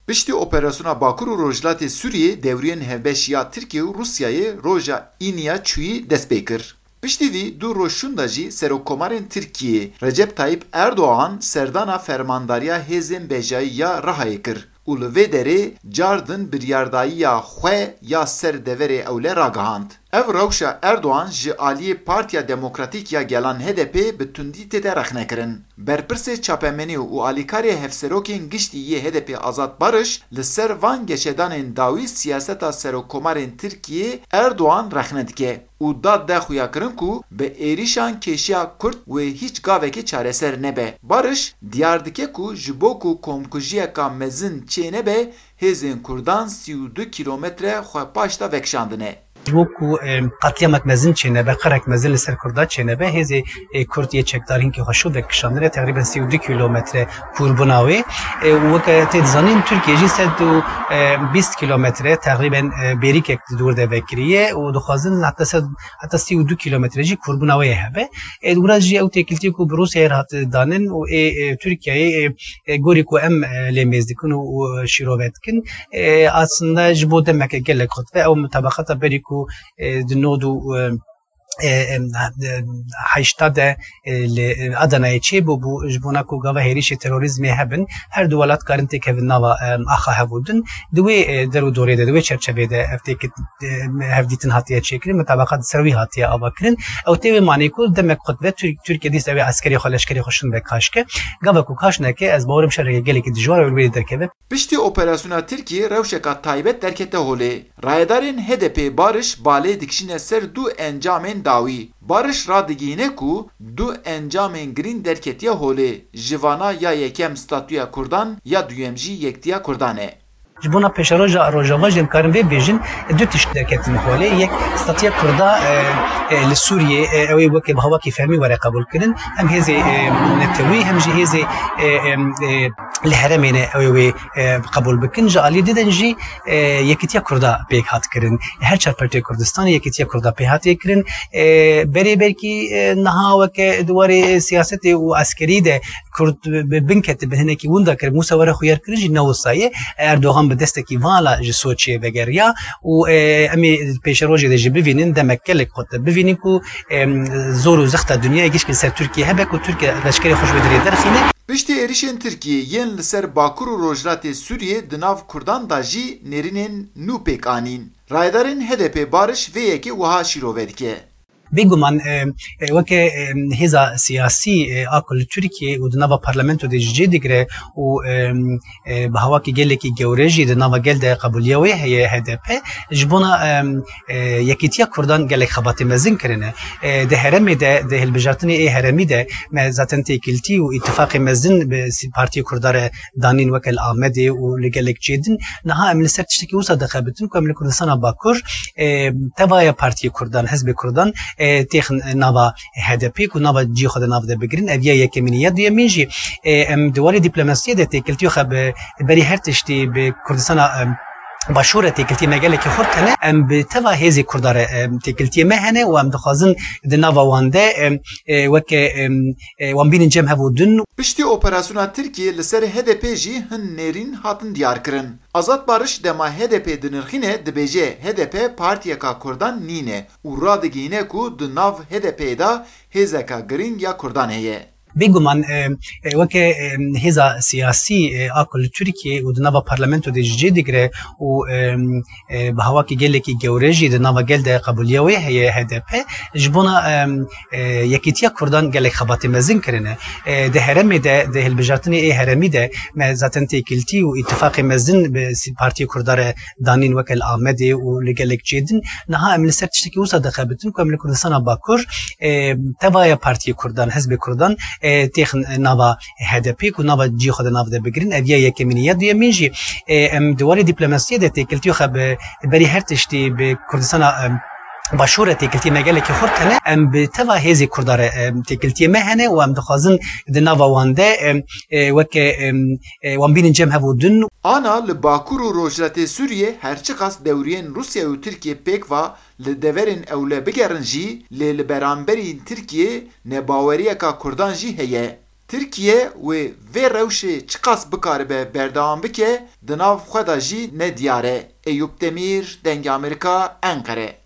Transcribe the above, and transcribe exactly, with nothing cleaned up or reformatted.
Piştî operasyona Bakur û Rojhilatê Sûriyê dewriyên hevbeş ya Tirkiye û Rûsyayê roja Îniya çûyî dest pê kir. Piştî vî du roj şûnda jî serokkomarên Tirkiyê Recep Tayyip Erdogan serdana fermandariya hêzên bejayî ya Rihayê kir û li vê derê car din biryardayiya xwe ya ser deverê ewle ragihand. Ev rewşa Erdogan ji aliyê Partiya Demokratîk ya Gelan H D P bi tundî tête rexnekirin. Berpirsê çapemenî û alîkarê hevserokên giştî yê H D P Azad Barış li ser van geşedanên dawî siyaseta serokkomarên Tirkiyê Erdogan rexne dike û dad de xuyakirin ku bi êrîşan kêşiya Kurd wê hîç gavekê çareser nebe. Barış diyar dike ku ji bo ku komkujiyeka mezin çênebe, hêzên Kurdan sî û du kîlometre xwe paşta vekişandine. Ji bo ku, em, qetlîyamek mezin çênebe, qirek mezin li ser Kurda çênebe, hêzê, e, Kurd yê çekdar hinkê xwe şû vekişandine, teqrîben sî û du kîlometre kûrbûna wê. E, û weke tê dizanîn, Tirkiye jî sed û bîst kîlometre teqrîben, e, bêrîkek di dûr de vekiriye û dixwazin heta sed, heta sî û du kîlometre jî kûrbûna wê hebe. E, wira jî ew têkiltî ku bi Rûsyayê re hat danin û ê, e, Tirkiyeyê, e, e, gorî ku em, e, lê mêz dikin û, û şîrove dikin, e, aslında ji bo demeke gelek xurt ve ew mutabaqata berî ku, e, di nod û, e, e, e, heyşta de, e, li, e, Adanayê çêbûbû, ji bona ku gava hêrişê terorîzmê hebin, her du welat karin têkevin nava, e, axa hev û din. Di wê, e, der û dorê de, di wê çerçevê de ev têkit-, e, hevdîtin hatiye çêkirin, mutabaqa di ser wî hatiye avakirin. Ew tê wê manê ku demek xwe dibe Tir-, Tirkiye dîsa wê eskerê xwe, leşkerê xwe şin be kaşke. Gava ku kaş neke, ez bawerim şereke gelekî dijwar û wê derkeve. Piştî operasyona Tirkiye rewşeka taybet derkete holê. Rayedarên H D P Barış balê dikişîne ser du encamên dawî. Barış radigihîne ku du encamên girîng derketiye holê. Ji vana ya yekem statûya Kurdan, ya duyem jî yektiya Kurdan e. Ji bona pêşeroja Rojava jî em karin vê bêjin, du tişt derketin holê. Yek, statiya Kurda, e, e, li Sûriyê, e, ew ê weke bi hawakî fermî were qebûlkirin. Em hêzê, e, netewî, hem jî hêzê, e, e, e, li herêmê ne ew ê wê, e, qebûl bikin. Ji alî didin jî, e, yekîtiya Kurda pêk hat kirin. Her çar pertê Kurdistanê yekîtiya Kurda pê hatiye kirin. E, berê belkî, e, niha weke di warê siyasetê û eskerî de Kurd bi bin kete bi hinekî winda kir, wisa were xuyar kirin jî ne wisa ye. Erdogan bi destekî vala ji Soçiyê vegeriya û, e, em ê pêşerojê de jî bivînin, demek gelek xurt de bivînin ku, e, zor û zexta dinyayê gişkî ser Tirkiye hebe ku Tirkiye leşkerê xwe ji wê derê derxîne. Piştî êrişên Tirkiyê yên li ser Bakur û Rojhilatê Sûriyê di nav Kurdan de jî nêrînên nû pêk anîn. Rayedarên H D P Barış vê yekê wiha şîrove dike. Bêguman, e, e, weke, e, hêza siyasî, e, a ku li Tirkiye û di nava parlamento de jî cê digire û, e, e, bi hawakî gelekî gewre jî di nava gel de qebûliya wê heye H D P. Ji bona, e, e, yekîtiya Kurdan gelek xebatê mezin kirine. E, di herêmê de, di hilbijartinê ê herêmî de me zaten têkiltî û îtifaqê mezin bi sî-, partiyê Kurda re danîn weke li Amedê û li gelek cê din. Niha em li ser tiştekî wisa dixebitin ku em li Kurdistana Bakur, e, tevaya partiyê Kurdan, hizbê Kurdan, e, têxin nava H D P ku nava cî xwe de nav de bigirin. Ev ya yekemîn e. Ya duyemîn jî, e, em di warê dîplomasiyê de têkiltî xwe bi berî her tiştî bi Kurdistana, e, Başûr re têkiltî me gelekî xurt hene. Em bi teva hêzê Kurda re, e, têkiltiyê me hene û em dixwazin di nava wan de, e, e, weke, e, e, wan bînin cem hev û din. Piştî operasyona Tirkiyê li ser H D P jî hin nêrîn hatin diyarkirin. Azad Barış dema H D P dinirxîne dibêje H D P partiyeka Kurdan nîne û radigihîne ku di nav H D P'ê de hêzeka girîng ya Kurdan heye. Bêguman, e, e, weke, e, hêza siyasî, e, a ku li Tirkiyê û di nava parlamento de jî cê digire û, e, e, bi hawakî gelekî gewre jî di nava gel de qebûliya wê heye H D P. Ji bona, e, e, yekîtiya Kurdan gelek xebatê mezin kirine. E, di herêmê de, di hilbijartinê ê herêmî de me zaten têkiltî û îtifaqê mezin bi sî-, partiyê Kurda re danîn weke li Amedê û li gelek cê din. Niha em li ser tiştekî wisa dixebitin ku em li Kurdistana Bakur, e, tevaya partiyê Kurdan, hizbê Kurdan, e, têxin nava H D P ku nava cî xwe de nav de bigirin. Ev ya yekemîn e. Ya duyemîn jî, e, em di warê dîplomasiyê de têkiltî xwe bi berî her tiştî bi Kurdistana, e, Başûr re têkiltiyê me gelekî xurt hene. Em bi teva hêzê Kurda re, e, têkiltiyê me hene û em dixwazin di nava wan de, e, e, weke, e, e, wan bînin cem hev û din. Ana li Bakur û Rojhilatê Sûriyê her çiqas dewriyên Rûsya û Tirkiye pêk va, li deverên ewle bigerin jî, lê li beramberî Tirkiyê nebaweriyeka Kurdan jî heye. Tirkiye wê vê rewşê çiqas bikaribe berdewam bike, di nav xwe de jî ne diyar e. Eyûp Demîr, Dengê Amerîka, Enqere.